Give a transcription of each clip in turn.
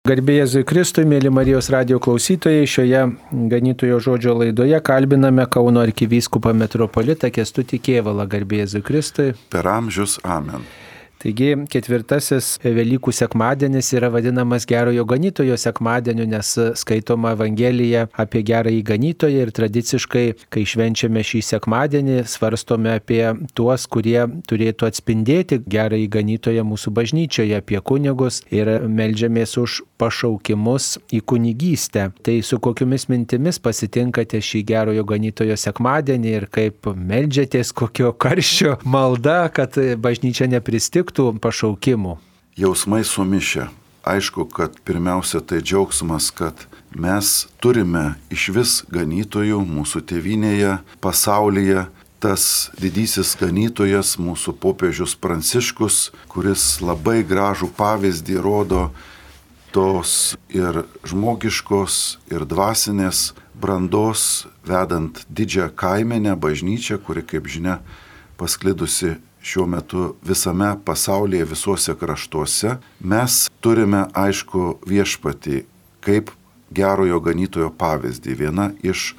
Garbė Jėzui Kristui, mėly Marijos radijo klausytojai, šioje ganytojo žodžio laidoje kalbiname Kauno arkivyskupą metropolitą Kęstutį Kėvalą. Garbė Jėzui Kristui. Per amžius amen. Taigi ketvirtasis Velykų sekmadienis yra vadinamas gerojo ganytojo sekmadieniu, nes skaitoma Evangelija apie gerąjį ganytoją ir tradiciškai, kai švenčiame šį sekmadienį, svarstome apie tuos, kurie turėtų atspindėti gerąjį ganytoją mūsų bažnyčioje, apie kunigus ir meldžiamės už pašaukimus į kunigystę. Tai su kokiomis mintimis pasitinkate šį gerojo ganytojo sekmadienį ir kaip meldžiatės, kokio karščio malda, kad bažnyčia nepristiktų pašaukimų? Jausmai sumišę. Aišku, kad pirmiausia tai džiaugsmas, kad mes turime iš vis ganytojų mūsų tėvynėje, pasaulyje. Tas didysis ganytojas, mūsų popiežius Pranciškus, kuris labai gražų pavyzdį rodo tos ir žmogiškos, ir dvasinės brandos, vedant didžią kaimenę bažnyčią, kuri, kaip žinia, pasklidusi šiuo metu visame pasaulyje, visuose kraštuose. Mes turime, aišku, viešpatį kaip gerojo ganytojo pavyzdį. Viena iš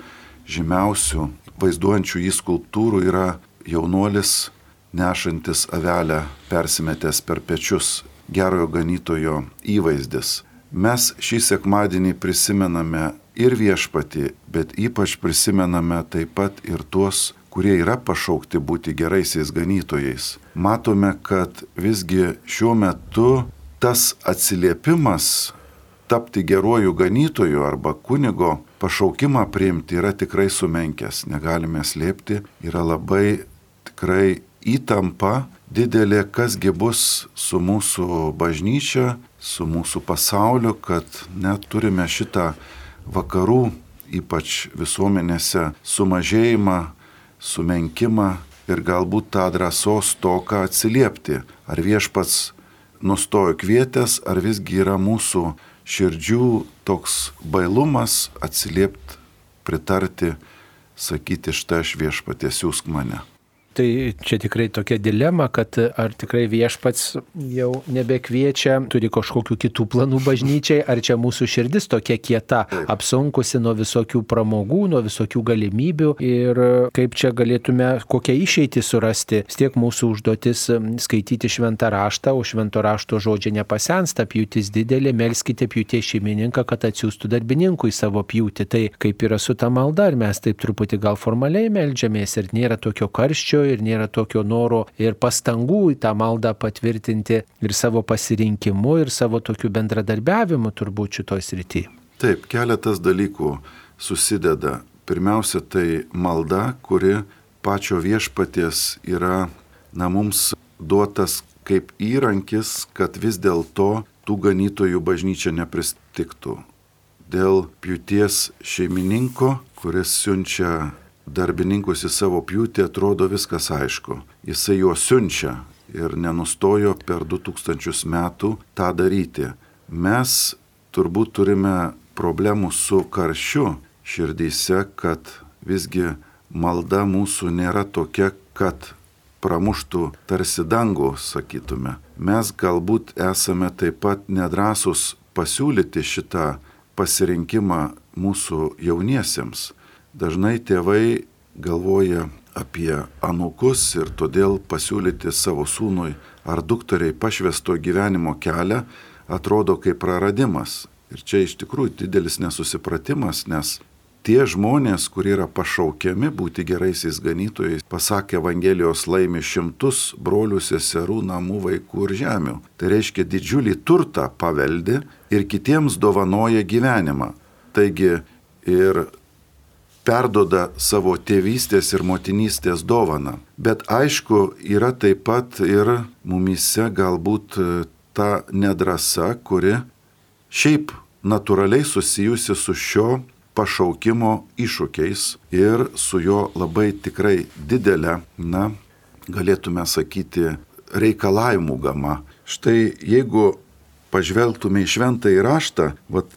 žymiausių vaizduojančių jį skulptūrų yra jaunuolis nešantis avelę persimetęs per pečius, gerojo ganytojo įvaizdis. Mes šį sekmadienį prisimename ir viešpatį, bet ypač prisimename taip pat ir tuos, kurie yra pašaukti būti geraisiais ganytojais. Matome, kad visgi šiuo metu tas atsiliepimas tapti geruoju ganytoju arba kunigo pašaukimą priimti yra tikrai sumenkęs. Negalime slėpti, yra labai tikrai įtampa didelė, kasgi bus su mūsų bažnyčia, su mūsų pasauliu, kad net turime šitą vakarų, ypač visuomenėse, sumažėjimą, sumenkimą ir galbūt tą drąsos toką atsiliepti. Ar viešpats nustojo kvietęs, ar visgi yra mūsų širdžių toks bailumas atsiliepti, pritarti, sakyti, štai aš viešpatie, siųsk mane. Tai čia tikrai tokia dilema, kad ar tikrai viešpats jau nebekviečia, turi kažkokių kitų planų bažnyčiai, ar čia mūsų širdis tokia kieta, apsunkusi nuo visokių pramogų, nuo visokių galimybių ir kaip čia galėtume kokią išeitį surasti. Vis tiek mūsų užduotis skaityti šventą raštą, o švento rašto žodžiai nepasensta, pjūtis didelė, melskite pjūties šeimininką, kad atsiųstų darbininkui savo pjūtį. Tai kaip yra su ta malda, ar mes taip truputį gal formaliai meldžiamės ir nėra tokio karščio, ir nėra tokio noro ir pastangų į tą maldą patvirtinti ir savo pasirinkimu, ir savo tokiu bendradarbiavimu turbūt šitoj srity. Taip, keletas dalykų susideda. Pirmiausia, tai malda, kuri pačio viešpaties yra mums duotas kaip įrankis, kad vis dėlto tų ganytojų bažnyčia nepristiktų. Dėl pjūties šeimininko, kuris siunčia darbininkus į savo pjūtį, atrodo viskas aišku. Jisai juos siunčia ir nenustojo per 2000 metų tą daryti. Mes turbūt turime problemų su karščiu širdyse, kad visgi malda mūsų nėra tokia, kad pramuštų tarsi dangų, sakytume. Mes galbūt esame taip pat nedrąsus pasiūlyti šitą pasirinkimą mūsų jauniesiems. Dažnai tėvai galvoja apie anūkus ir todėl pasiūlyti savo sūnui ar dukteriai pašvęsto gyvenimo kelią atrodo kaip praradimas. Ir čia iš tikrųjų didelis nesusipratimas, nes tie žmonės, kurie yra pašaukiami būti geraisiais ganytojais, pasak Evangelijos, laimi šimtus brolių, seserų, namų, vaikų ir žemių. Tai reiškia didžiulį turtą paveldi ir kitiems dovanoja gyvenimą. Taigi ir perdoda savo tėvystės ir motinystės dovaną. Bet aišku, yra taip pat ir mumyse galbūt ta nedrąsa, kuri šiaip natūraliai susijusi su šio pašaukimo iššūkiais ir su jo labai tikrai didelė, galėtume sakyti, reikalavimų gama. Štai jeigu pažvelgtume į šventąjį raštą,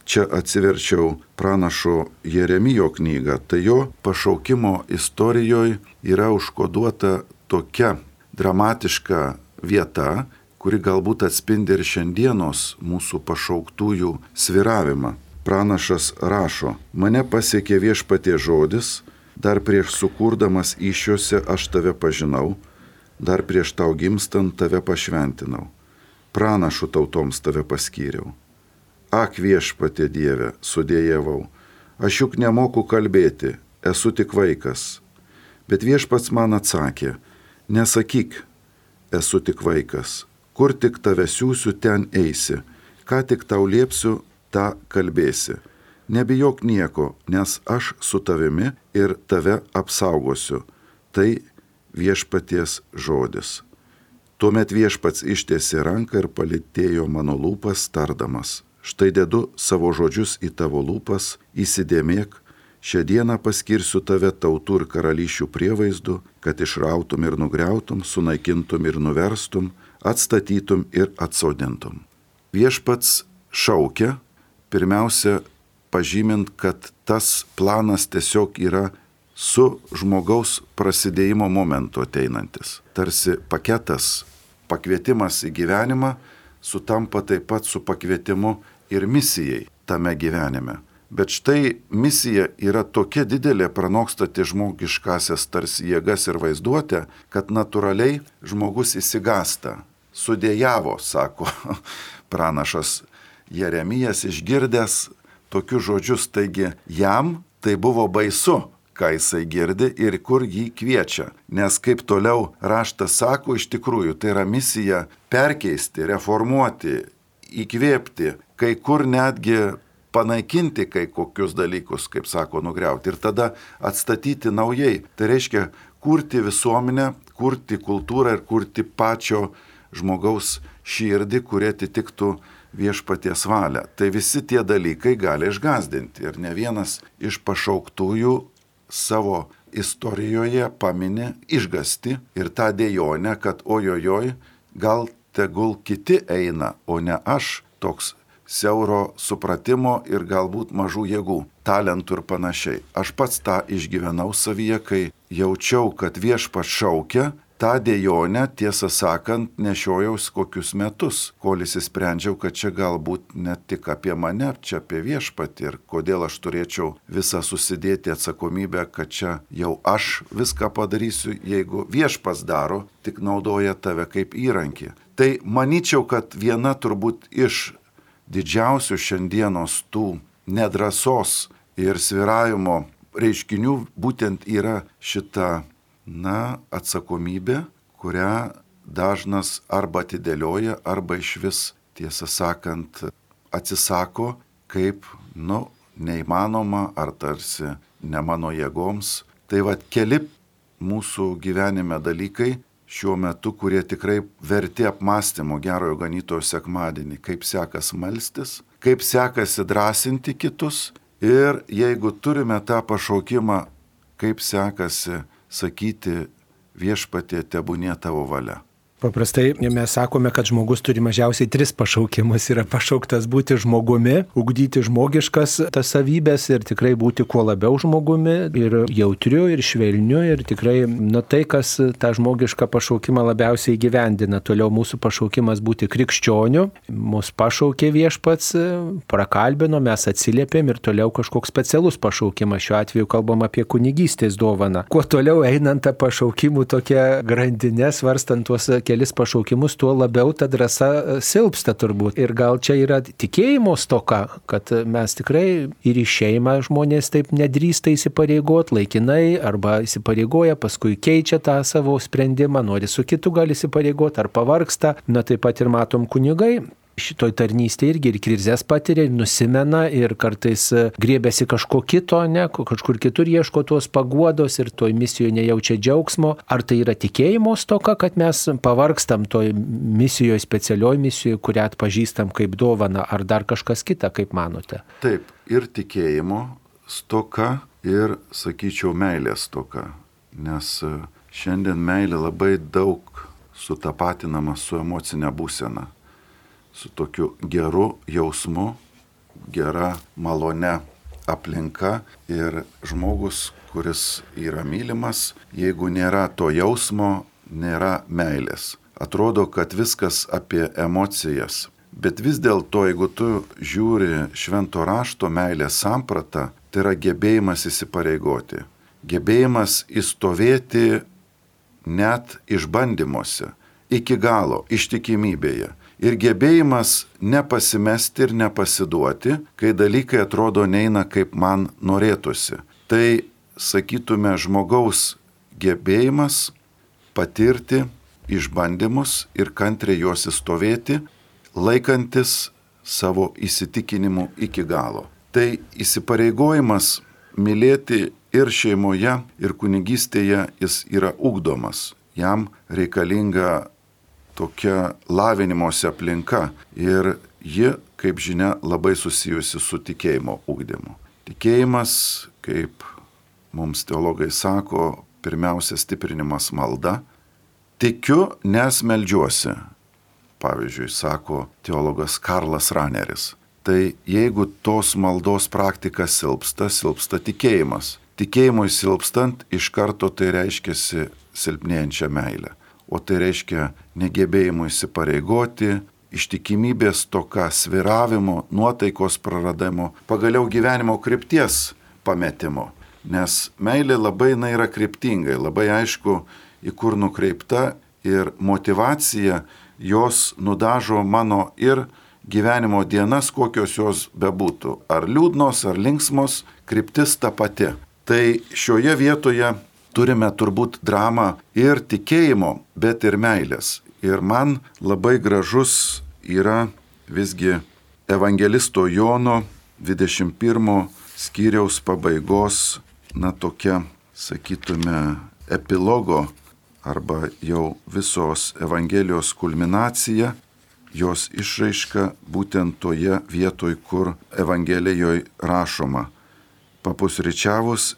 čia atsiverčiau pranašo Jeremijo knygą, tai jo pašaukimo istorijoje yra užkoduota tokia dramatiška vieta, kuri galbūt atspindi ir šiandienos mūsų pašauktųjų svyravimą. Pranašas rašo: mane pasiekė Viešpaties žodis, dar prieš sukurdamas įsčiose aš tave pažinau, dar prieš tau gimstant tave pašventinau, pranašų tautoms tave paskyriau. Ak, Viešpatie Dieve, sudėjavau, aš juk nemoku kalbėti, esu tik vaikas. Bet Viešpats man atsakė: nesakyk, esu tik vaikas, kur tik tave siųsiu, ten eisi, ką tik tau liepsiu, tą kalbėsi. Nebijok nieko, nes aš su tavimi ir tave apsaugosiu. Tai Viešpaties žodis. Tuomet Viešpats ištiesė ranką ir palytėjo mano lūpas, tardamas: štai dedu savo žodžius į tavo lūpas, įsidėmėk, šią dieną paskirsiu tave tautų ir karalysčių prievaizdu, kad išrautum ir nugriautum, sunaikintum ir nuverstum, atstatytum ir atsodintum. Viešpats šaukia, pirmiausia, pažymint, kad tas planas tiesiog yra su žmogaus prasidėjimo momentu ateinantis. Tarsi paketas, pakvietimas į gyvenimą sutampa taip pat su pakvietimu ir misijai tame gyvenime. Bet štai misija yra tokia didelė, pranokstanti žmogiškasias tarsi jėgas ir vaizduotę, kad natūraliai žmogus išsigąsta. Sudėjavo, sako pranašas Jeremijas, išgirdęs tokius žodžius, taigi jam tai buvo baisu, ką jisai girdi ir kur jį kviečia. Nes kaip toliau raštas sako, iš tikrųjų tai yra misija perkeisti, reformuoti, įkvėpti, kai kur netgi panaikinti kai kokius dalykus, kaip sako, nugriauti ir tada atstatyti naujai. Tai reiškia kurti visuomenę, kurti kultūrą ir kurti pačio žmogaus širdį, kurie atitiktų Viešpaties valią. Tai visi tie dalykai gali išgąsdinti ir ne vienas iš pašauktųjų savo istorijoje pamini išgąstį ir tą dejonę, kad ojojoj, gal tegul kiti eina, o ne aš, toks siauro supratimo ir galbūt mažų jėgų, talentų ir panašiai. Aš pats tą išgyvenau savyje, kai jaučiau, kad Viešpats šaukia. Ta dejonė, tiesą sakant, nešiojaus kokius metus, kol įsisprendžiau, kad čia galbūt ne tik apie mane, čia apie Viešpatį ir kodėl aš turėčiau visą susidėti atsakomybę, kad čia jau aš viską padarysiu, jeigu Viešpats daro, tik naudoja tave kaip įrankį. Tai manyčiau, kad viena turbūt iš didžiausių šiandienos tų nedrąsos ir svyravimo reiškinių būtent yra šita atsakomybė, kurią dažnas arba atidėlioja, arba išvis, tiesą sakant, atsisako kaip, neįmanoma ar tarsi ne mano jėgoms. Tai keli mūsų gyvenime dalykai šiuo metu, kurie tikrai verti apmąstymo Gerojo Ganytojo sekmadienį, kaip sekasi melstis, kaip sekasi drąsinti kitus ir jeigu turime tą pašaukimą, kaip sekasi sakyti Viešpatie, tebūnie tavo valia. Paprastai mes sakome, kad žmogus turi mažiausiai 3 pašaukimus. Yra pašauktas būti žmogumi, ugdyti žmogiškas tas savybės ir tikrai būti kuo labiau žmogumi ir jautriu, ir švelniu, ir tikrai tai, kas tą žmogišką pašaukimą labiausiai įgyvendina. Toliau mūsų pašaukimas būti krikščioniu. Mūsų pašaukė Viešpats, prakalbino, mes atsiliepėm ir toliau kažkoks specialus pašaukimas. Šiuo atveju kalbam apie kunigystės dovaną. Kuo toliau einant tą pašaukimų tokią grandinę, svarstant tuos kelis pašaukimus, tuo labiau ta drąsa silpsta turbūt. Ir gal čia yra tikėjimo stoka, kad mes tikrai ir į šeimą žmonės taip nedrįsta įsipareigoti laikinai arba įsipareigoja, paskui keičia tą savo sprendimą, nori su kitu gali įsipareigoti ar pavargsta. Taip pat ir matom kunigai. Šitoj tarnystėje irgi ir krizės patiria, ir nusimena, ir kartais griebiasi kažko kito, kažkur kitur ieško tos paguodos ir toj misijoje nejaučia džiaugsmo. Ar tai yra tikėjimo stoka, kad mes pavargstam toj misijoje, specialioj misijoje, kurią atpažįstam kaip dovaną, ar dar kažkas kita, kaip manote? Taip, ir tikėjimo stoka, ir, sakyčiau, meilės stoka. Nes šiandien meilė labai daug sutapatinama su emocinė būsena. Su tokiu geru jausmu, gera, malone aplinka ir žmogus, kuris yra mylimas, jeigu nėra to jausmo, nėra meilės. atrodo, kad viskas apie emocijas. Bet vis dėlto, jeigu tu žiūri švento rašto meilės sampratą, tai yra gebėjimas įsipareigoti. Gebėjimas įstovėti net išbandymuose, iki galo, ištikimybėje. Ir gebėjimas nepasimesti ir nepasiduoti, kai dalykai atrodo neina kaip man norėtųsi. Tai, sakytume, žmogaus gebėjimas patirti išbandymus ir kantriai juos įstovėti, laikantis savo įsitikinimų iki galo. Tai įsipareigojimas mylėti ir šeimoje, ir kunigystėje jis yra ugdomas. Jam reikalinga tokia lavinimosi aplinka ir ji, kaip žinia, labai susijusi su tikėjimo ugdymu. Tikėjimas, kaip mums teologai sako, pirmiausia stiprinimas malda. Tikiu, nes meldžiuosi. Pavyzdžiui, sako teologas Karlas Raneris. Tai jeigu tos maldos praktika silpsta tikėjimas. Tikėjimui silpstant iš karto tai reiškiasi silpnėjančią meilę. O tai reiškia negebėjimų įsipareigoti, ištikimybės toka, sviravimo, nuotaikos praradimo, pagaliau gyvenimo krypties pametimo. Nes meilė labai yra kryptingai, labai aišku, į kur nukreipta ir motyvacija jos nudažo mano ir gyvenimo dienas, kokios jos bebūtų. Ar liūdnos, ar linksmos, kryptis ta pati. Tai šioje vietoje turime turbūt dramą ir tikėjimo, bet ir meilės. Ir man labai gražus yra visgi evangelisto Jono 21 skyriaus pabaigos, tokia, sakytume, epilogo arba jau visos evangelijos kulminacija, jos išraiška būtent toje vietoje, kur evangelijoje rašoma. Papusryčiavus,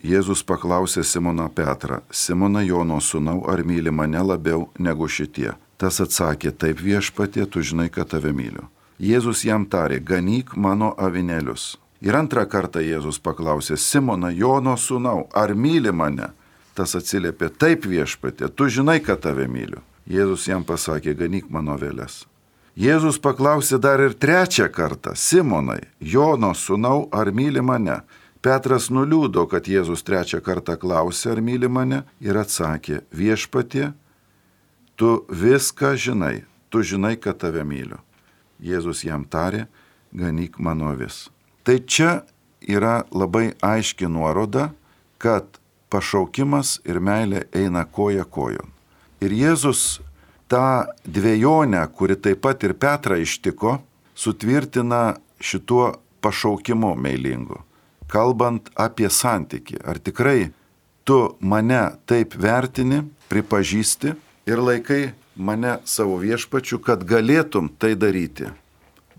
Jėzus paklausė Simoną Petrą: Simona, Jono sūnau, ar myli mane labiau negu šitie? Tas atsakė: Taip, Viešpatie, tu žinai, kad tave myliu. Jėzus jam tarė: Ganyk mano avinėlius. Ir antrą kartą Jėzus paklausė: Simona, Jono sūnau, ar myli mane? Tas atsiliepė: Taip, Viešpatie, tu žinai, kad tave myliu. Jėzus jam pasakė: Ganyk mano aveles. Jėzus paklausė dar ir trečią kartą: Simonai, Jono sūnau, ar myli mane? Petras nuliūdo, kad Jėzus trečią kartą klausė, ar myli mane, ir atsakė: Viešpatie, tu viską žinai, tu žinai, kad tave myliu. Jėzus jam tarė: Ganyk mano avis. Tai čia yra labai aiški nuoroda, kad pašaukimas ir meilė eina koja kojon. Ir Jėzus tą dvejonę, kuri taip pat ir Petrą ištiko, sutvirtina šituo pašaukimu meilingu. Kalbant apie santykį, ar tikrai tu mane taip vertini, pripažįsti ir laikai mane savo viešpačiu, kad galėtum tai daryti.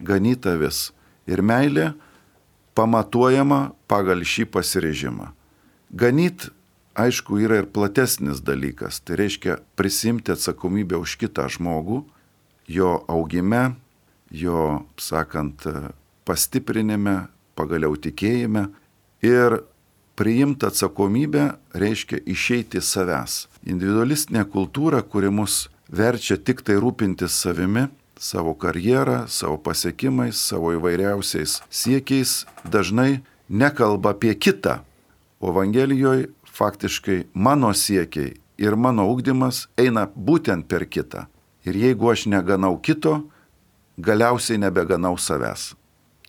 Ganyt avis. Ir meilė pamatuojama pagal šį pasiryžimą. Ganyt, aišku, yra ir platesnis dalykas. Tai reiškia prisimti atsakomybę už kitą žmogų, jo augime, jo, sakant, pastiprinime, pagaliau tikėjime. Ir priimti atsakomybę reiškia išeiti savęs. Individualistinė kultūra, kuri mus verčia tik tai rūpintis savimi, savo karjerą, savo pasiekimais, savo įvairiausiais siekiais, dažnai nekalba apie kitą. O Evangelijoje faktiškai mano siekiai ir mano ugdymas eina būtent per kitą. Ir jeigu aš neganau kito, galiausiai nebeganau savęs.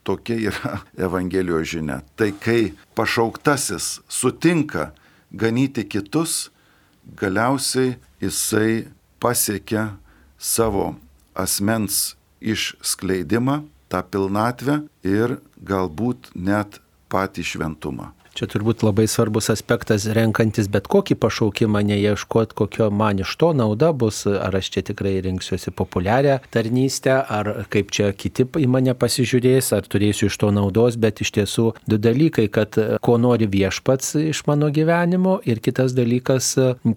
Tokia yra Evangelijos žinia. Tai kai pašauktasis sutinka ganyti kitus, galiausiai jisai pasiekia savo asmens išskleidimą, tą pilnatvę ir galbūt net patį šventumą. Čia turbūt labai svarbus aspektas, renkantis bet kokį pašaukimą, neieškoti, kokio man iš to nauda bus, ar aš čia tikrai rinksiuosi populiarią tarnystę, ar kaip čia kiti į mane pasižiūrės, ar turėsiu iš to naudos, bet iš tiesų du dalykai, kad ko nori viešpats iš mano gyvenimo ir kitas dalykas,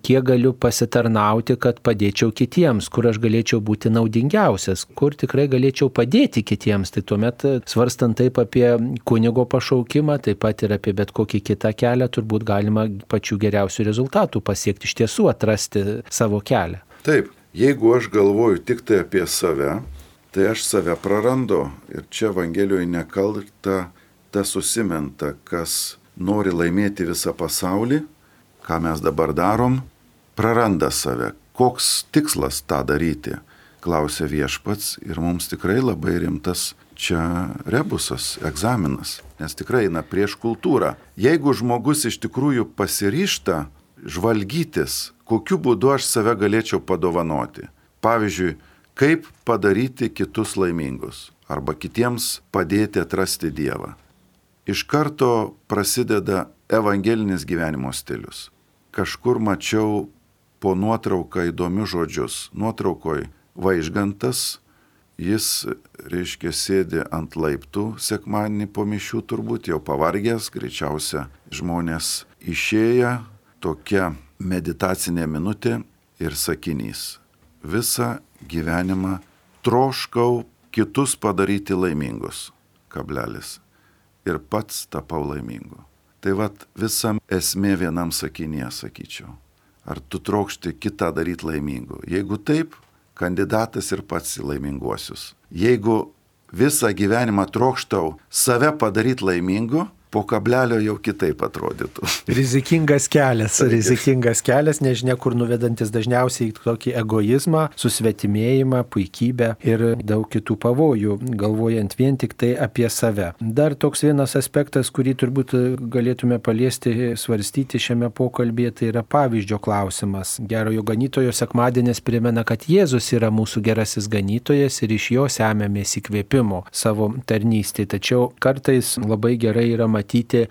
kiek galiu pasitarnauti, kad padėčiau kitiems, kur aš galėčiau būti naudingiausias, kur tikrai galėčiau padėti kitiems. Tai tuomet svarstant taip apie kunigo pašaukimą, taip pat ir apie bet kokį kitą kelią, turbūt galima pačių geriausių rezultatų pasiekti, iš tiesų atrasti savo kelią. Taip, Jeigu aš galvoju tik tai apie save, tai aš save prarandu. Ir čia Evangelijoje nekalta tas susimenta, kas nori laimėti visą pasaulį, ką mes dabar darom, praranda save. Koks tikslas tą daryti, klausia Viešpats, ir mums tikrai labai rimtas čia rebusas, egzaminas, nes tikrai eina prieš kultūrą. Jeigu žmogus iš tikrųjų pasiryžta žvalgytis, kokiu būdu aš save galėčiau padovanoti. Pavyzdžiui, kaip padaryti kitus laimingus arba kitiems padėti atrasti Dievą. Iš karto prasideda evangelinis gyvenimo stilius. Kažkur mačiau po nuotrauką įdomius žodžius. Nuotraukoj Vaižgantas, jis, reiškia, sėdi ant laiptų sekmadienį po mišių, turbūt jau pavargęs, greičiausia žmonės išėję, tokia meditacinė minutė ir sakinys. Visą gyvenimą troškau kitus padaryti laimingus, kablelis, ir pats tapau laimingu. Tai vat visa esmė vienam sakinyje, sakyčiau. Ar tu trokšti kitą daryti laimingu? Jeigu taip, kandidatas ir pats į laiminguosius. Jeigu visą gyvenimą trokštau save padaryti laimingu, po kablelio jau kitaip atrodytų. Rizikingas kelias, nežinia kur nuvedantis dažniausiai tokį egoizmą, susvetimėjimą, puikybę ir daug kitų pavojų, galvojant vien tik tai apie save. Dar toks vienas aspektas, kurį turbūt galėtume paliesti, svarstyti šiame pokalbėje, tai yra pavyzdžio klausimas. Gerojo ganytojo sekmadienis primena, kad Jėzus yra mūsų gerasis ganytojas ir iš jo semiamės įkvėpimo savo tarnystėje. Tačiau kartais labai gerai yra matyti,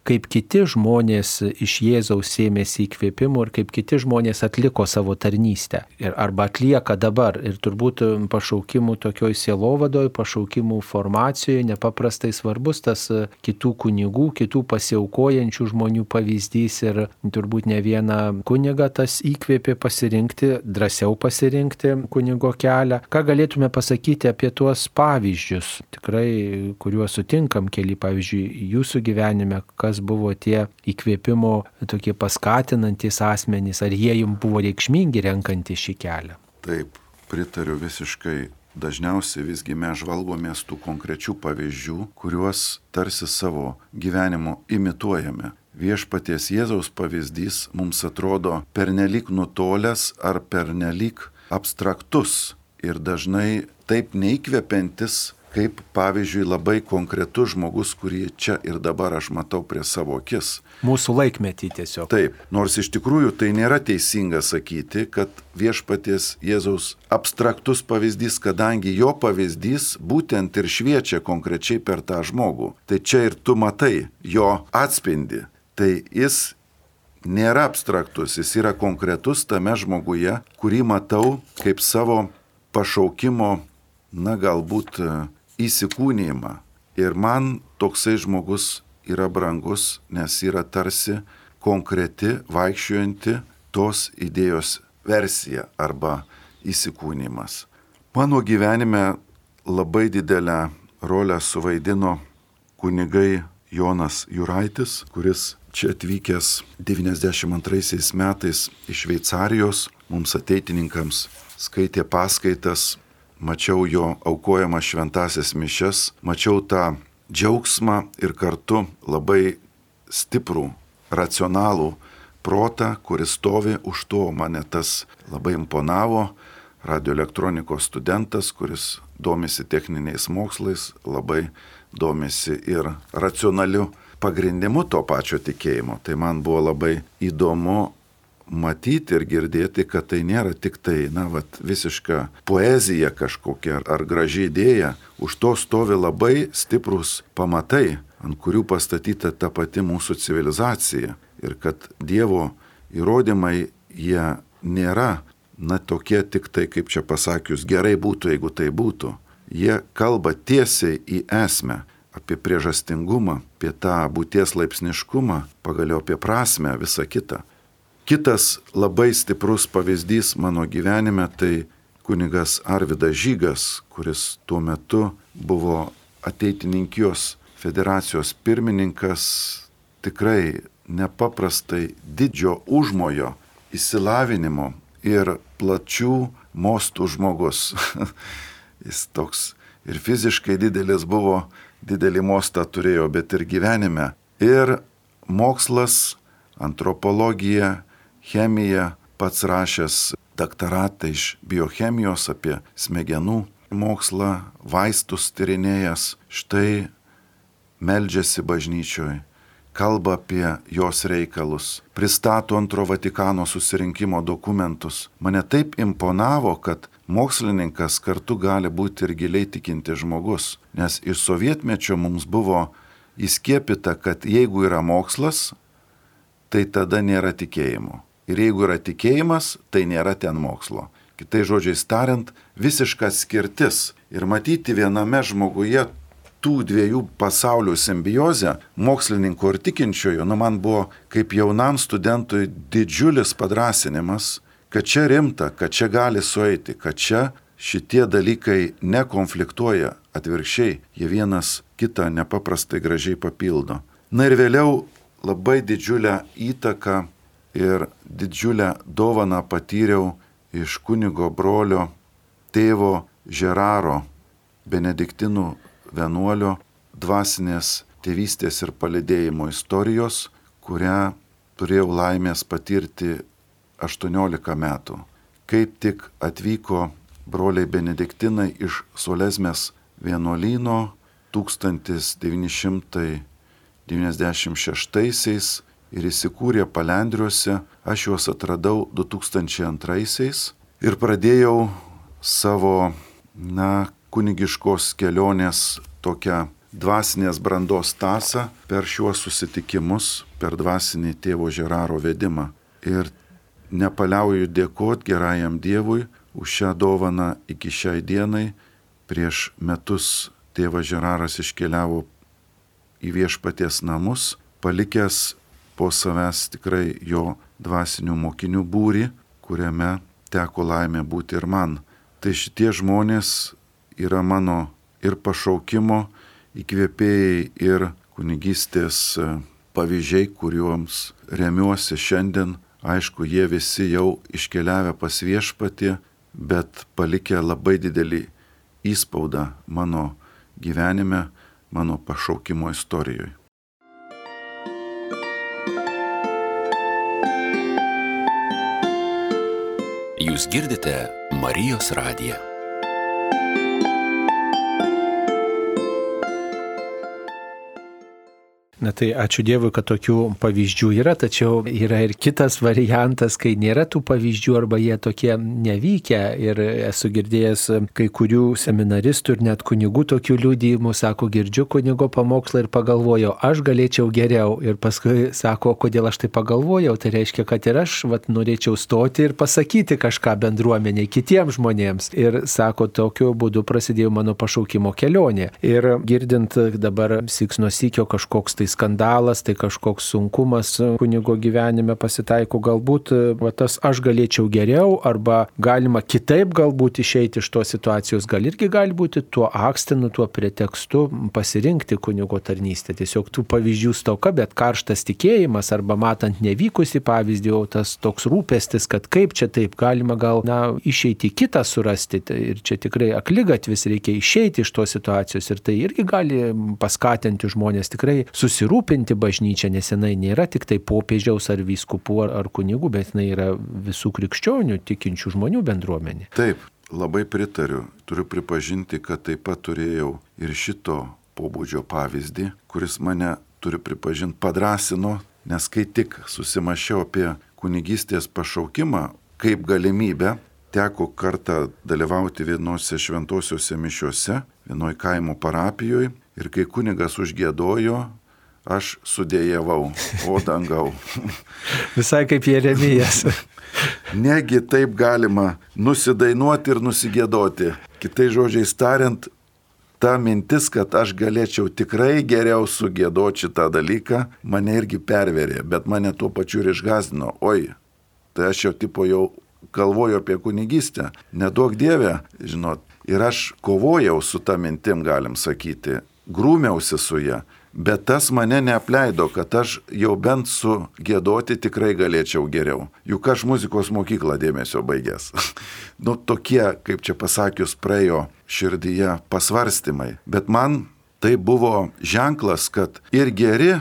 kaip kiti žmonės iš Jėzaus sėmėsi įkvėpimų ir kaip kiti žmonės atliko savo tarnystę. Arba atlieka dabar. Ir turbūt pašaukimų tokioj sielovadoj, pašaukimų formacijoje nepaprastai svarbus tas kitų kunigų, kitų pasiaukojančių žmonių pavyzdys. Ir turbūt ne vieną kunigą tas įkvėpė pasirinkti, drąsiau pasirinkti kunigo kelią. Ką galėtume pasakyti apie tuos pavyzdžius, tikrai, kuriuos sutinkam keli, pavyzdžiui, jūsų gyvenime, kas buvo tie įkvėpimo tokie paskatinantys asmenys, ar jie jums buvo reikšmingi renkantys šį kelią? Taip, pritariu visiškai. Dažniausiai visgi mes žvalgomės tų konkrečių pavyzdžių, kuriuos tarsi savo gyvenimo imituojame. Viešpaties Jėzaus pavyzdys mums atrodo pernelyg nutolęs ar pernelyg abstraktus ir dažnai taip neįkvepiantis, kaip, pavyzdžiui, labai konkretus žmogus, kurį čia ir dabar aš matau prie savo akis. Mūsų laikmetį tiesiog. Taip, nors iš tikrųjų tai nėra teisinga sakyti, kad Viešpaties Jėzaus abstraktus pavyzdys, kadangi jo pavyzdys būtent ir šviečia konkrečiai per tą žmogų. Tai čia ir tu matai jo atspindį. Tai jis nėra abstraktus, jis yra konkretus tame žmoguje, kurį matau kaip savo pašaukimo, galbūt įsikūnijimą. Ir man toksai žmogus yra brangus, nes yra tarsi konkreti, vaikščiojanti tos idėjos versija arba įsikūnijimas. Mano gyvenime labai didelę rolę suvaidino kunigai Jonas Juraitis, kuris čia atvykęs 92 metais iš Šveicarijos, mums ateitininkams skaitė paskaitas. Mačiau jo aukojamas šventasias mišias, mačiau tą džiaugsmą ir kartu labai stiprų, racionalų protą, kuris stovi už to. Mane tas labai imponavo. Radioelektronikos studentas, kuris domisi techniniais mokslais, labai domisi ir racionaliu pagrindimu to pačio tikėjimo. Tai man buvo labai įdomu matyti ir girdėti, kad tai nėra tik tai, visiška poezija kažkokia ar graži idėja. Už to stovi labai stiprus pamatai, ant kurių pastatyta ta pati mūsų civilizacija. Ir kad Dievo įrodymai, jie nėra, tokie tik tai, kaip čia pasakius, gerai būtų, jeigu tai būtų. Jie kalba tiesiai į esmę, apie priežastingumą, apie tą būties laipsniškumą, pagaliau apie prasmę, visą kitą. Kitas labai stiprus pavyzdys mano gyvenime tai kunigas Arvydas Žygas, kuris tuo metu buvo Ateitininkijos federacijos pirmininkas, tikrai nepaprastai didžio užmojo, išsilavinimo ir plačių mostų žmogus. Jis toks ir fiziškai didelis buvo, didelį mostą turėjo, bet ir gyvenime. Ir mokslas, antropologija, chemija, pats rašęs daktaratą iš biochemijos apie smegenų mokslą, vaistus tyrinėjęs, štai meldžiasi bažnyčioje, kalba apie jos reikalus, pristato Antro Vatikano susirinkimo dokumentus. Mane taip imponavo, kad mokslininkas kartu gali būti ir giliai tikinti žmogus, nes iš sovietmečio mums buvo įskiepyta, kad jeigu yra mokslas, tai tada nėra tikėjimo. Ir jeigu yra tikėjimas, tai nėra ten mokslo. Kitais žodžiais tariant, visiška skirtis. Ir matyti viename žmoguje tų dviejų pasaulių simbiozę, mokslininko ir tikinčiojo, man buvo kaip jaunam studentui didžiulis padrasinimas, kad čia rimta, kad čia gali sueiti, kad čia šitie dalykai nekonfliktuoja, atvirkščiai, jie vienas kitą nepaprastai gražiai papildo. Na ir vėliau labai didžiulę įtaką ir didžiulę dovaną patyriau iš kunigo brolio tėvo Žeraro, benediktinų vienuolio dvasinės tėvystės ir palydėjimo istorijos, kurią turėjau laimės patirti 18 metų. Kaip tik atvyko broliai benediktinai iš Solesmės vienuolyno 1996 ir įsikūrė Palendriuose, aš juos atradau 2002 ir pradėjau savo, kunigiškos kelionės tokią dvasinės brandos tąsą per šiuos susitikimus, per dvasinį tėvo Žeraro vedimą. Ir nepaliauju dėkoti gerajam Dievui už šią dovaną iki šiai dienai. Prieš metus tėvas Žeraras iškeliavo į Viešpaties namus, palikęs po savęs tikrai jo dvasinių mokinių būrį, kuriame teko laimė būti ir man. Tai šitie žmonės yra mano ir pašaukimo įkvėpėjai, ir kunigystės pavyzdžiai, kuriuoms remiuosi šiandien. Aišku, jie visi jau iškeliavę pas Viešpatį, bet palikę labai didelį įspaudą mano gyvenime, mano pašaukimo istorijoje. Jūs girdite Marijos radiją. Na tai ačiū Dievui, kad tokių pavyzdžių yra, tačiau yra ir kitas variantas, kai nėra tų pavyzdžių arba jie tokie nevykę. Ir esu girdėjęs kai kurių seminaristų ir net kunigų tokių liudijimų, sako, girdžiu kunigo pamokslą ir pagalvojau, aš galėčiau geriau. Ir paskui sako, kodėl aš tai pagalvojau, tai reiškia, kad ir aš norėčiau stoti ir pasakyti kažką bendruomeniai, kitiems žmonėms. Ir sako, tokiu būdu prasidėjo mano pašaukimo kelionė. Ir girdint dabar siks nuo sykio kažkoks tai skandalas, tai kažkoks sunkumas kunigo gyvenime pasitaiko, galbūt tas aš galėčiau geriau, arba galima kitaip galbūt išeiti iš tos situacijos, gal irgi gali būti tuo akstinu, tuo pretekstu pasirinkti kunigo tarnystę. Tiesiog tų pavyzdžių stoka, bet karštas tikėjimas, arba matant nevykusį pavyzdį, o tas toks rūpestis, kad kaip čia taip galima gal išeiti kitą surasti. Ir čia tikrai akligatvis, reikia išeiti iš tos situacijos, ir tai irgi gali paskatinti žmonės tikrai susirūpinti bažnyčią, nes jinai nėra tik tai popiežiaus ar vyskupų ar kunigų, bet jinai yra visų krikščionių tikinčių žmonių bendruomenė. Taip, labai pritariu. Turiu pripažinti, kad taip pat turėjau ir šito pobūdžio pavyzdį, kuris mane, turiu pripažinti, padrasino, nes kai tik susimašiau apie kunigystės pašaukimą kaip galimybę, teko kartą dalyvauti vienose šventosiuose mišiuose, vienoj kaimo parapijoje, ir kai kunigas užgiedojo, aš sudėjavau, o dangau. Visai kaip Jeremijas. Negi taip galima nusidainuoti ir nusigėdoti. Kitais žodžiais tariant, ta mintis, kad aš galėčiau tikrai geriau sugėdoti šitą dalyką, mane irgi perverė, bet mane tuo pačiu ir išgąsdino. Oi, tai aš jau galvoju apie kunigystę. Neduok Dieve, žinot. Ir aš kovojau su ta mintim, galim sakyti. grūmiausi su ja, bet tas mane neapleido, kad aš jau bent su giedoti tikrai galėčiau geriau. Juk aš muzikos mokyklą dėmesio baigęs. Tokie, kaip čia pasakius, praėjo širdyje pasvarstymai. Bet man tai buvo ženklas, kad ir geri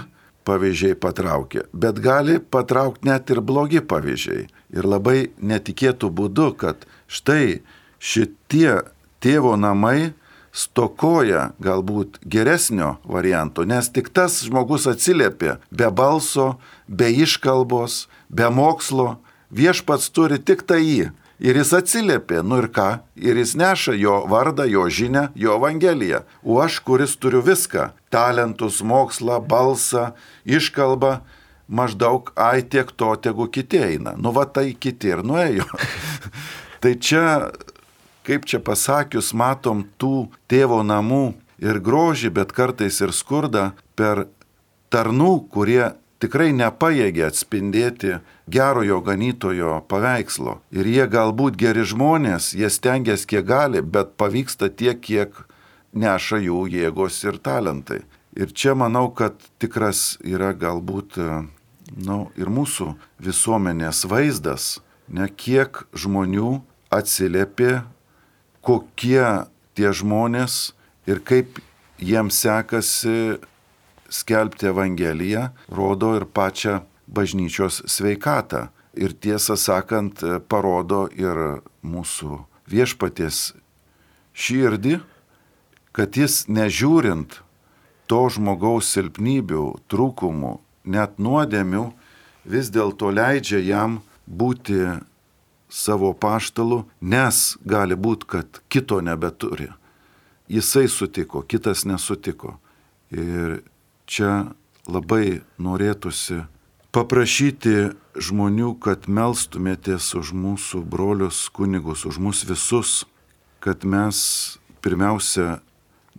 pavyzdžiai patraukia, bet gali patraukti net ir blogi pavyzdžiai. Ir labai netikėtų būdu, kad štai šitie tėvo namai stokoja galbūt geresnio varianto, nes tik tas žmogus atsiliepė be balso, be iškalbos, be mokslo, viešpats turi tik tai jį. Ir jis atsiliepė, ir ką, ir jis neša jo vardą, jo žinią, jo evangeliją. O aš, kuris turiu viską, talentus, mokslą, balsą, iškalbą, maždaug, tiek to, tegu kiti eina. Tai kiti ir nuėjo. Tai čia, kaip čia pasakius, matom tų tėvo namų ir grožį, bet kartais ir skurdą per tarnų, kurie tikrai nepajėgia atspindėti gerojo ganytojo paveikslo. Ir jie galbūt geri žmonės, jie stengiasi kiek gali, bet pavyksta tiek, kiek neša jų jėgos ir talentai. Ir čia manau, kad tikras yra galbūt ir mūsų visuomenės vaizdas, kiek žmonių atsiliepė, kokie tie žmonės ir kaip jiems sekasi skelbti Evangeliją, rodo ir pačią bažnyčios sveikatą. Ir tiesą sakant, parodo ir mūsų viešpaties širdį, kad jis nežiūrint to žmogaus silpnybių, trūkumų, net nuodėmių, vis dėlto leidžia jam būti savo paštalu, nes gali būti, kad kito nebeturi. Jisai sutiko, kitas nesutiko. Ir čia labai norėtųsi paprašyti žmonių, kad melstumėtės už mūsų brolius kunigus, už mus visus, kad mes pirmiausia,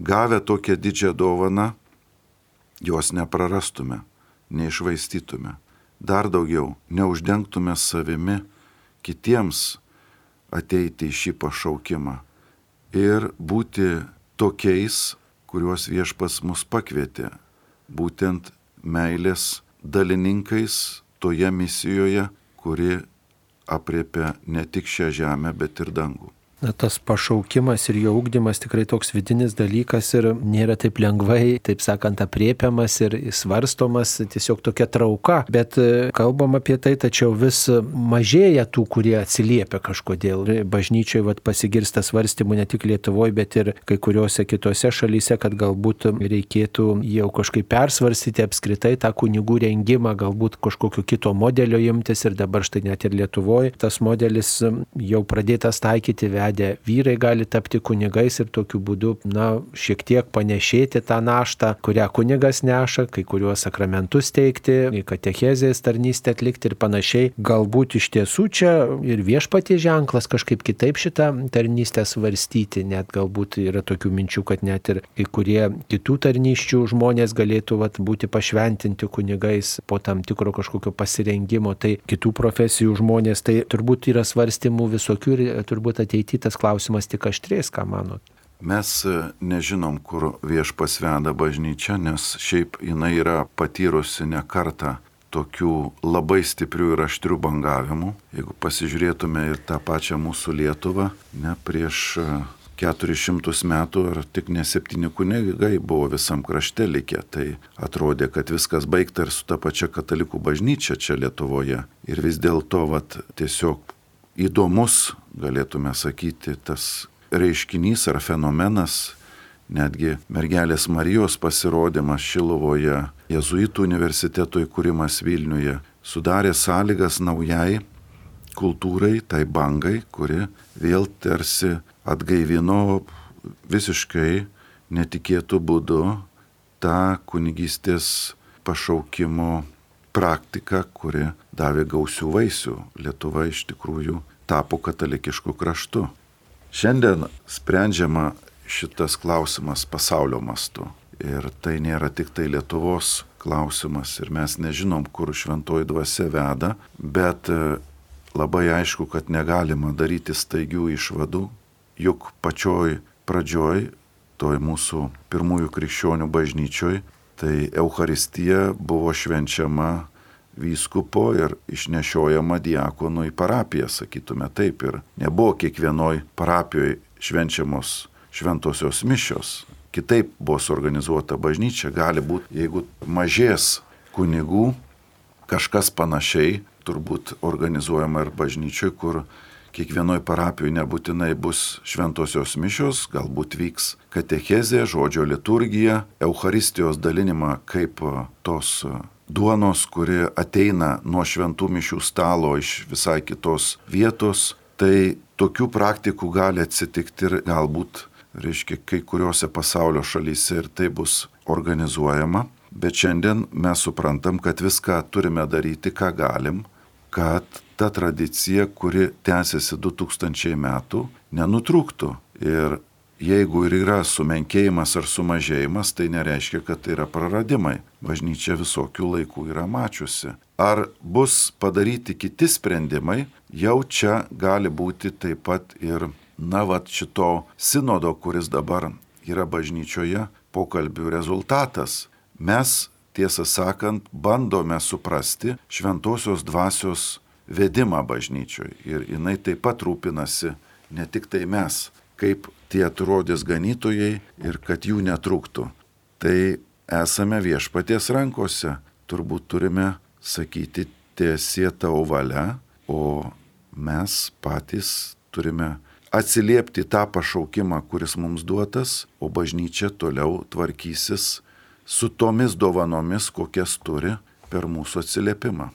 gavę tokią didžią dovaną, jos neprarastume, neišvaistytume. Dar daugiau, neuždengtume savimi kitiems ateiti į šį pašaukimą ir būti tokiais, kuriuos viešpats mus pakvietė. Būtent meilės dalininkais toje misijoje, kuri apriepia ne tik šią žemę, bet ir dangų. Tas pašaukimas ir jo ugdymas tikrai toks vidinis dalykas ir nėra taip lengvai, taip sakant, apriepiamas ir svarstomas, tiesiog tokia trauka. Bet kalbam apie tai, tačiau vis mažėja tų, kurie atsiliepia kažkodėl. Bažnyčioje pasigirsta svarstymų ne tik Lietuvoje, bet ir kai kuriuose kitose šalyse, kad galbūt reikėtų jau kažkaip persvarstyti apskritai tą kunigų rengimą, galbūt kažkokio kito modelio imtis ir dabar štai net ir Lietuvoje tas modelis jau pradėtas taikyti, vyrai gali tapti kunigais ir tokiu būdu, šiek tiek panešėti tą naštą, kurią kunigas neša, kai kuriuos sakramentus teikti, katechezės tarnystę atlikti ir panašiai. Galbūt iš tiesų čia ir viešpaties ženklas kažkaip kitaip šitą tarnystę svarstyti, net galbūt yra tokių minčių, kad net ir kai kurie kitų tarnysčių žmonės galėtų būti pašventinti kunigais po tam tikro kažkokio pasirengimo, tai kitų profesijų žmonės, tai turbūt yra svarstymų visokių ir turbūt ateity tas klausimas tik aštrės, ką manot? Mes nežinom, kur viešpats veda bažnyčią, nes šiaip jinai yra patyrusi ne kartą tokių labai stiprių ir aštrių bangavimų. Jeigu pasižiūrėtume ir tą pačią mūsų Lietuvą, prieš 400 metų ar tik ne 7 kunigai buvo visam krašte likę, tai atrodė, kad viskas baigta ir su ta pačia katalikų bažnyčia čia Lietuvoje. Ir vis dėlto tiesiog įdomus, galėtume sakyti, tas reiškinys ar fenomenas, netgi mergelės Marijos pasirodymas Šiluvoje, Jėzuitų universiteto įkūrimas Vilniuje, sudarė sąlygas naujai kultūrai, tai bangai, kuri vėl tarsi atgaivino visiškai netikėtų būdu tą kunigystės pašaukimo praktika, kuri davė gausių vaisių. Lietuva iš tikrųjų tapo katalikišku kraštu. Šiandien sprendžiama šitas klausimas pasaulio mastu. Ir tai nėra tik tai Lietuvos klausimas. Ir mes nežinom, kur šventoji dvasia veda, bet labai aišku, kad negalima daryti staigių išvadų, juk pačioj pradžioj toj mūsų pirmųjų krikščionių bažnyčioj, tai Eucharistija buvo švenčiama vyskupo ir išnešiojama diakonų į parapiją, sakytume taip. Ir nebuvo kiekvienoj parapijoje švenčiamos šventosios mišios. Kitaip buvo suorganizuota bažnyčia. Gali būti, jeigu mažės kunigų, kažkas panašiai turbūt organizuojama ir bažnyčioj, kur kiekvienoj parapijoje nebūtinai bus šventosios mišios, galbūt vyks katechezė, žodžio liturgija, Eucharistijos dalinimą kaip tos duonos, kuri ateina nuo šventų mišių stalo iš visai kitos vietos. Tai tokių praktikų gali atsitikti ir galbūt, kai kuriuose pasaulio šalyse ir tai bus organizuojama. Bet šiandien mes suprantam, kad viską turime daryti, ką galim, kad ta tradicija, kuri tęsiasi 2000 metų, nenutrūktų. Ir jeigu ir yra sumenkėjimas ar sumažėjimas, tai nereiškia, kad tai yra praradimai. Bažnyčia visokių laikų yra mačiusi. Ar bus padaryti kiti sprendimai, jau čia gali būti taip pat ir, šito sinodo, kuris dabar yra bažnyčioje, pokalbių rezultatas. Mes, tiesą sakant, bandome suprasti šventosios dvasios vedimą bažnyčioje. Ir jinai taip pat rūpinasi, ne tik tai mes, kaip tie atrodys ganytojai ir kad jų netrūktų. Tai esame Viešpaties rankose. Turbūt turime sakyti tiesie tavo valia, o mes patys turime atsiliepti tą pašaukimą, kuris mums duotas, o bažnyčia toliau tvarkysis su tomis dovanomis, kokias turi per mūsų atsiliepimą.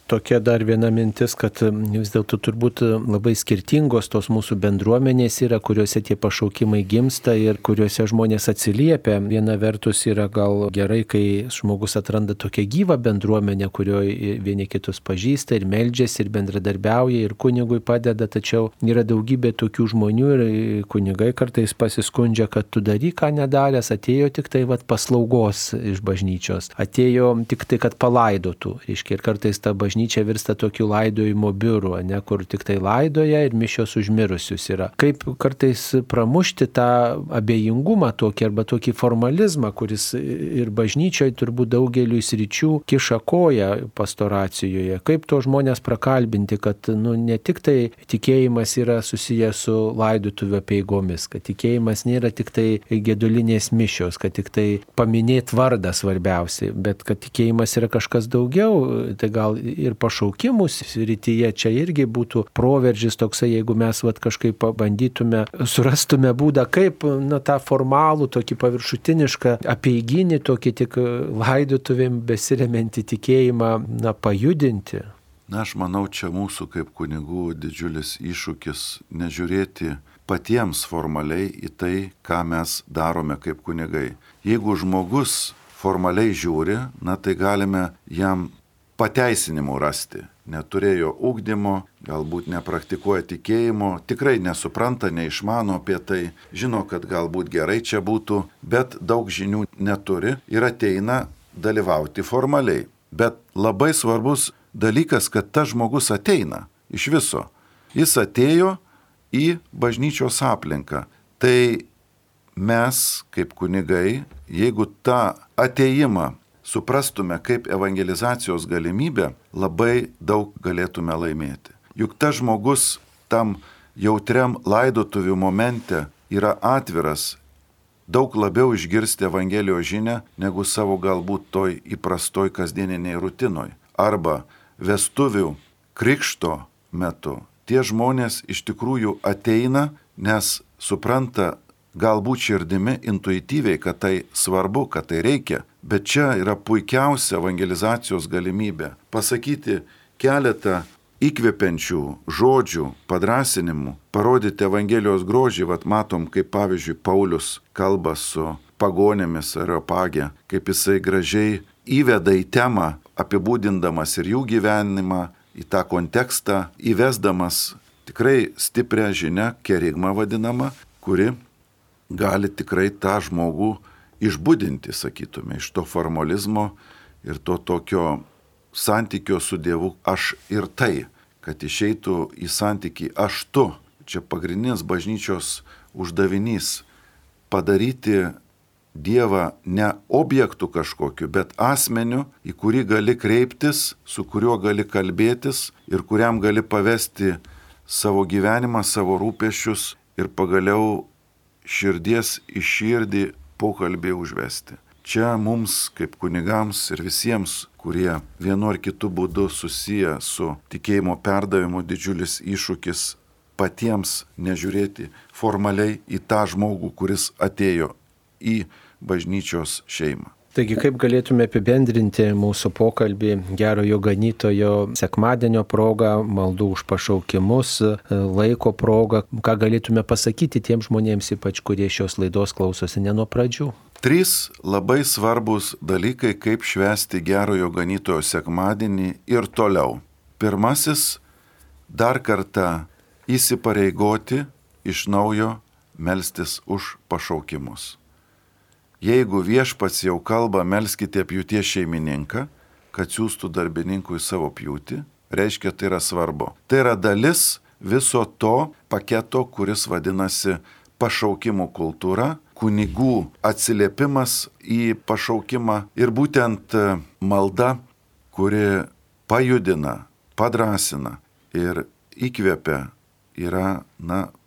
Tokia dar viena mintis, kad vis dėlto turbūt labai skirtingos tos mūsų bendruomenės yra, kuriuose tie pašaukimai gimsta ir kuriuose žmonės atsiliepia. Viena vertus yra gal gerai, kai žmogus atranda tokią gyvą bendruomenę, kurioje vieni kitus pažįsta ir meldžiasi ir bendradarbiauja ir kunigui padeda, tačiau yra daugybė tokių žmonių ir kunigai kartais pasiskundžia, kad tu daryk, ką nedaręs, atėjo tik tai paslaugos iš bažnyčios, atėjo tik tai, kad palaidotų. Ir kartais ta bažnyčia virsta tokiu laidojimo biuru, kur tik tai laidoja ir mišios užmirusius yra. Kaip kartais pramušti tą abejingumą tokį arba tokį formalizmą, kuris ir bažnyčioje turbūt daugeliu sričių kiša koją pastoracijoje. Kaip to žmonės prakalbinti, kad ne tik tai tikėjimas yra susijęs su laidotuvių apeigomis, kad tikėjimas nėra tik tai gedulinės mišios, kad tik tai paminėti vardą svarbiausiai, bet kad tikėjimas yra kažkas daugiau, tai gal ir pašaukimų srityje čia irgi būtų proveržis toksai, jeigu mes kažkaip pabandytume, surastume būdą, kaip tą formalų, tokį paviršutinišką apeiginį, tokį tik laidotuvėm besiremiantį tikėjimą pajudinti. Aš manau, čia mūsų kaip kunigų didžiulis iššūkis nežiūrėti patiems formaliai į tai, ką mes darome kaip kunigai. Jeigu žmogus formaliai žiūri, tai galime jam pateisinimų rasti. Neturėjo ugdymo, galbūt nepraktikuoja tikėjimo, tikrai nesupranta, neišmano apie tai, žino, kad galbūt gerai čia būtų, bet daug žinių neturi ir ateina dalyvauti formaliai. Bet labai svarbus dalykas, kad tas žmogus ateina iš viso. Jis atėjo į bažnyčios aplinką. Tai mes, kaip kunigai, jeigu tą atėjimą suprastume kaip evangelizacijos galimybę, labai daug galėtume laimėti. Juk tas žmogus tam jautriam laidotuvių momente yra atviras daug labiau išgirsti Evangelijos žinią negu savo galbūt toj įprastoj kasdieniniai rutinoj. Arba vestuvių krikšto metu tie žmonės iš tikrųjų ateina, nes supranta galbūt širdimi intuityviai, kad tai svarbu, kad tai reikia. Bet čia yra puikiausia evangelizacijos galimybė pasakyti keletą įkvepiančių žodžių, padrasinimų, parodyti Evangelijos grožį. Matom, kaip pavyzdžiui Paulius kalba su pagonėmis Areopage, kaip jisai gražiai įveda į temą, apibūdindamas ir jų gyvenimą, į tą kontekstą, įvesdamas tikrai stiprią žinią, kerigmą vadinamą, kuri gali tikrai tą žmogų išbudinti, sakytume, iš to formalizmo ir to tokio santykio su Dievu aš ir tai, kad išeitų į santykį aš tu. Čia pagrindinis bažnyčios uždavinys padaryti Dievą ne objektų kažkokiu, bet asmeniu, į kurį gali kreiptis, su kuriuo gali kalbėtis ir kuriam gali pavesti savo gyvenimą, savo rūpesčius ir pagaliau širdies į širdį pokalbį užvesti. Čia mums, kaip kunigams ir visiems, kurie vienu ar kitu būdu susiję su tikėjimo perdavimu, didžiulis iššūkis patiems nežiūrėti formaliai į tą žmogų, kuris atėjo į bažnyčios šeimą. Taigi, kaip galėtume apibendrinti mūsų pokalbį gerojo ganytojo sekmadienio progą, maldų už pašaukimus, laiko progą, ką galėtume pasakyti tiems žmonėms, ypač kurie šios laidos klausosi ne nuo pradžių? 3 labai svarbus dalykai, kaip švęsti gerojo ganytojo sekmadienį ir toliau. Pirmasis, dar kartą įsipareigoti iš naujo melstis už pašaukimus. Jeigu viešpats jau kalba, melskite pjūties šeimininką, kad siųstų darbininkų į savo pjūtį, reiškia, tai yra svarbu. Tai yra dalis viso to paketo, kuris vadinasi pašaukimų kultūra, kunigų atsiliepimas į pašaukimą ir būtent malda, kuri pajudina, padrasina ir įkvepia, yra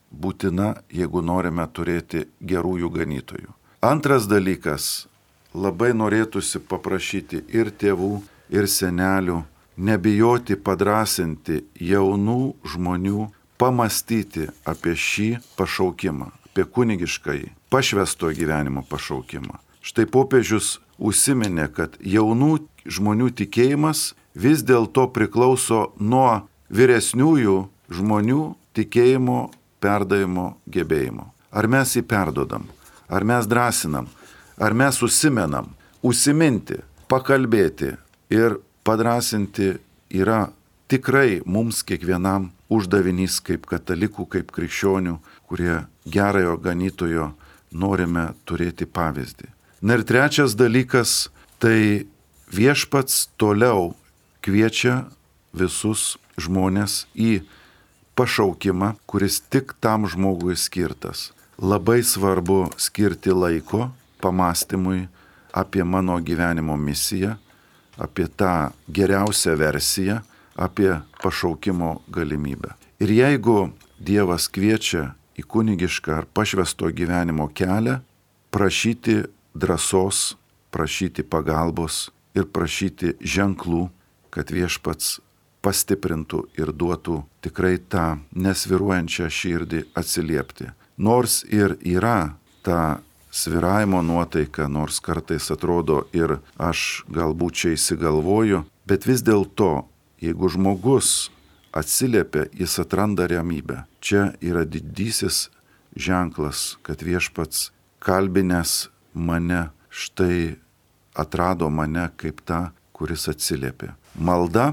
būtina, jeigu norime turėti gerųjų ganytojų. Antras dalykas, labai norėtųsi paprašyti ir tėvų, ir senelių, nebijoti padrasinti jaunų žmonių, pamastyti apie šį pašaukimą, apie kunigiškąjį, pašvęsto gyvenimo pašaukimą. Štai popiežius užsiminė, kad jaunų žmonių tikėjimas vis dėlto priklauso nuo vyresniųjų žmonių tikėjimo perdavimo gebėjimo. Ar mes jį perdodam? Ar mes drąsinam, ar mes užsimenam, užsiminti, pakalbėti ir padrasinti yra tikrai mums kiekvienam uždavinys kaip katalikų, kaip krikščionių, kurie gerojo ganytojo norime turėti pavyzdį. Ir trečias dalykas, tai viešpats toliau kviečia visus žmonės į pašaukimą, kuris tik tam žmogui skirtas. Labai svarbu skirti laiko pamastymui apie mano gyvenimo misiją, apie tą geriausią versiją, apie pašaukimo galimybę. Ir jeigu Dievas kviečia į kunigišką ar pašvęsto gyvenimo kelią, prašyti drąsos, prašyti pagalbos ir prašyti ženklų, kad viešpats pastiprintų ir duotų tikrai tą nesviruojančią širdį atsiliepti. Nors ir yra ta svyravimo nuotaika, nors kartais atrodo ir aš galbūt čia įsigalvoju, bet vis dėlto, jeigu žmogus atsiliepia, jis atranda ramybę. Čia yra didysis ženklas, kad viešpats kalbinęs mane štai atrado mane kaip tą, kuris atsiliepia. Malda,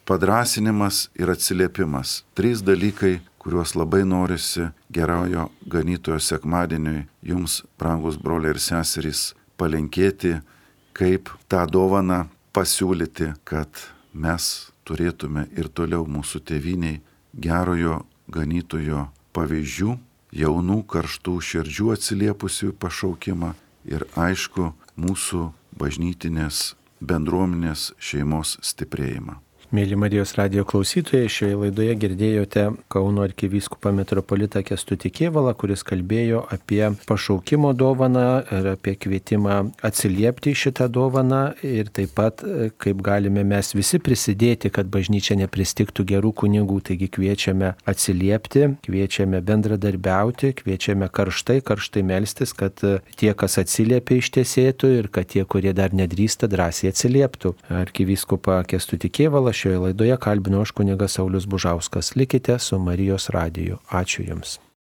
padrasinimas ir atsiliepimas. 3 dalykai, kuriuos labai norisi gerojo ganytojo sekmadieniui jums, brangus broliai ir seserys, palinkėti, kaip tą dovaną pasiūlyti, kad mes turėtume ir toliau mūsų tėviniai gerojo ganytojo pavyzdžių, jaunų karštų širdžių atsiliepusių pašaukimą ir aišku mūsų bažnytinės bendruomenės šeimos stiprėjimą. Mėly Marijos radijo klausytojai, šioje laidoje girdėjote Kauno arkivyskupą metropolitą Kęstutį Kėvalą, kuris kalbėjo apie pašaukimo dovaną ir apie kvietimą atsiliepti šitą dovaną ir taip pat kaip galime mes visi prisidėti, kad bažnyčia nepristigtų gerų kunigų. Taigi kviečiame atsiliepti, kviečiame bendradarbiauti, kviečiame karštai melstis, kad tie, kas atsiliepia, ištesėtų ir kad tie, kurie dar nedrįsta, drąsiai atsilieptų. Arkivyskupą Kęstutį Kėvalą šioje laidoje kalbino aš kunigas Saulius Bužauskas. Likite su Marijos radiju. Ačiū Jums.